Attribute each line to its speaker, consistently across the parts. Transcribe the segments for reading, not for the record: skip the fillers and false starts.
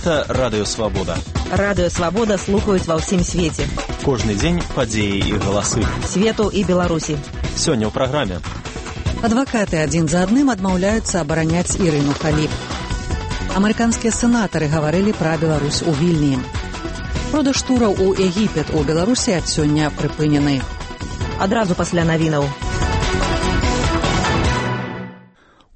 Speaker 1: Гэта Радыё Свабода.
Speaker 2: Радыё Свабода слухаюць ва ўсім свеце.
Speaker 1: Кожны дзень падзеі і галасы.
Speaker 2: Свету і Беларусі.
Speaker 1: Сёння ў праграме.
Speaker 3: Адвакаты адзін за адным адмаўляюцца абараняць Ірыну Халіп. Амерыканскія сенатары гаварылі пра Беларусь у Вільні. Продаж тураў у Егіпет у Беларусі ад сёння прыпынены.
Speaker 2: Адразу пасля навінаў.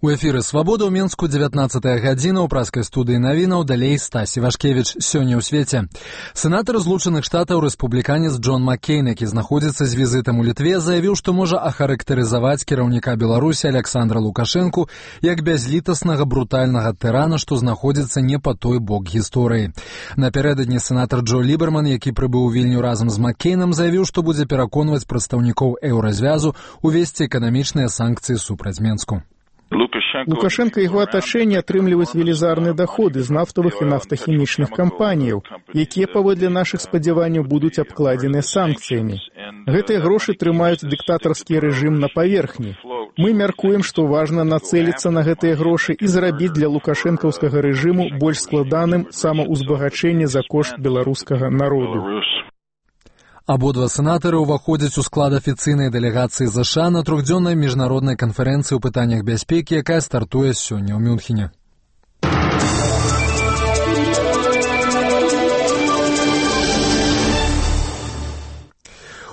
Speaker 4: У эфіры «Свабода» ў Мінску 19-я гадзіна, ў праскай студыі навінаў, далей Стас Івашкевіч. Сёння ў свеце. Сенатар Злучаных Штатаў рэспубліканец Джон Маккейн, які знаходзіцца з візітам у Літве, заявіў, што можа ахарактарызаваць кіраўніка Беларусі Александра Лукашэнку як бязлітаснага брутальнага тырана, што знаходзіцца не па той бок гісторыі. Напярэдадні сенатар Джо Ліберман, які прыбыў у Вільню разам з Маккейнам, заявіў, што будзе пераконваць прадстаўнікоў еўразвязу увесці эканамічныя санкцыі супраць Менску.
Speaker 5: Лукашенко і яго атачэнне атрымліваюць велізарныя даходы з нафтавых і нафтахімічных кампаніяў, якія, паводле нашых спадзяванняў, будуць абкладзеныя санкцыямі. Гэтыя грошы трымаюць дыктатарскі рэжым на паверхні. Мы мяркуем, што важна нацэліцца на гэтыя грошы і зрабіць для лукашэнкаўскага рэжыму больш складаным самаўзбагачэнне за кошт беларускага народу.
Speaker 4: Абодва сенатары ўваходзяць у склад афіцыйнай дэлегацыі ЗША на трохдзённай міжнароднай канферэнцыі ў пытаннях бяспекі, якая стартуе сёння ў Мюнхене.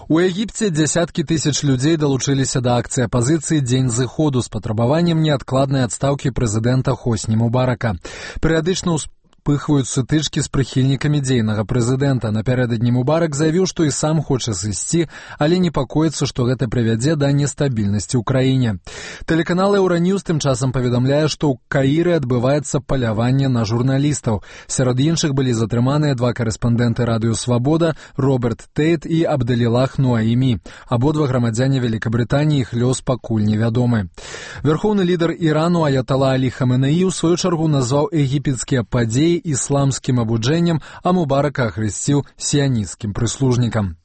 Speaker 4: У Егіпце дзясяткі тысяч людзей далучыліся да акцыі апазіцыі «Дзень зыходу» з патрабаваннем неадкладнай адстаўкі прэзідэнта Хосні Мубарака. Перыядычна пыхваюць сутычкі з прыхільнікамі дзейнага прэзідэнта. Напярэдадні Мубарак заявіў, што і сам хоча сысці, але непакоіцца, што гэта прывядзе да нестабільнасці ў краіне. Тэлеканал Еўраньюз тым часам паведамляе, што ў Каіры адбываецца паляванне на журналістаў. Сярод іншых былі затрыманыя два карэспандэнты Радыё Свабода, Роберт Тейт і Абдэлілах Нуаімі. Абодва грамадзяне Великабрытаніі, іх лёс пакуль невядомы. Вярхоўны лідар Ірану Аятала Алі Хаменеі ў сваю чаргу назваў егіпецкія падзеі ісламскім абуджэннем, а Мубарака ахрысціў сіянісцкім прыслужнікам.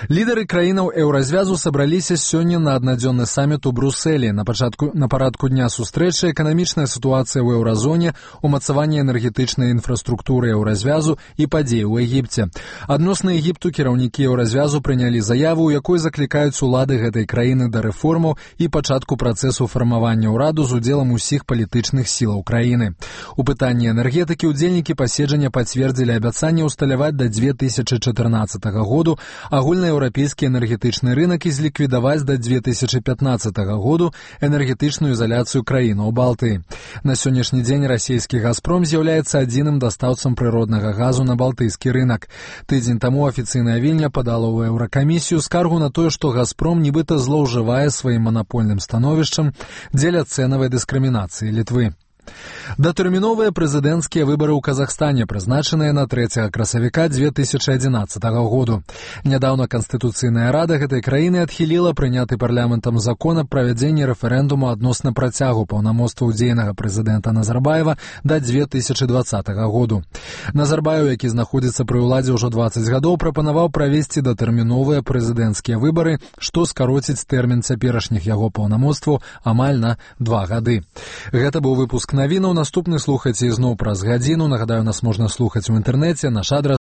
Speaker 4: Лідары краінаў еўразвязу сабраліся сёння на аднадзённы саміт у Брусэлі. На парадку дня сустрэчы эканамічная сітуацыя ў еўразоне, умацаванне энергетычнай інфраструктуры еўразвязу і падзеі ў Егіпце. Адносна Егіпту кіраўнікі еўразвязу прынялі заяву, у якой заклікаюць улады гэтай краіны да рэформаў і пачатку працэсу фармавання ўраду з удзелам усіх палітычных сілаў краіны. У пытанні энергетыкі ўдзельнікі паседжання пацвердзілі абяцанне ўсталяваць да 2014 году агульнаеўрапейскі энергетычны рынак і зліквідаваць да 2015 году энергетычную ізаляцыю краінаў Балтыі. На сённяшні дзень расійскі «Газпром» з'яўляецца адзіным дастаўцам прыроднага газу на балтыйскі рынак. Тыдзень таму афіцыйная Вільня падала ў Еўракамісію скаргу на тое, што «Газпром» нібыта злоўжывае сваім манапольным становішчам дзеля цэнавай дыскрымінацыі Літвы. Датэрміновыя прэзідэнцкія выбары ў Казахстане прызначаныя на 3 красавіка 2011 году. Нядаўна Канстытуцыйная рада гэтай краіны адхіліла прыняты парламентам закон аб правядзенні рэферэндуму адносна працягу паўнамоцтваў дзейнага прэзідэнта Назарбаева да 2020 году. Назарбаев, які знаходзіцца пры ўладзе ўжо 20 гадоў, прапанаваў правесці датэрміновыя прэзідэнцкія выбары, што скароціць тэрмін цяперашніх яго паўнамоцтваў амаль на 2 гады. Гэта быў выпуск навінаў. Наступны слухайце ізноў праз гадзіну. Нагадаю, нас можна слухаць у інтэрнэце. Наш адрас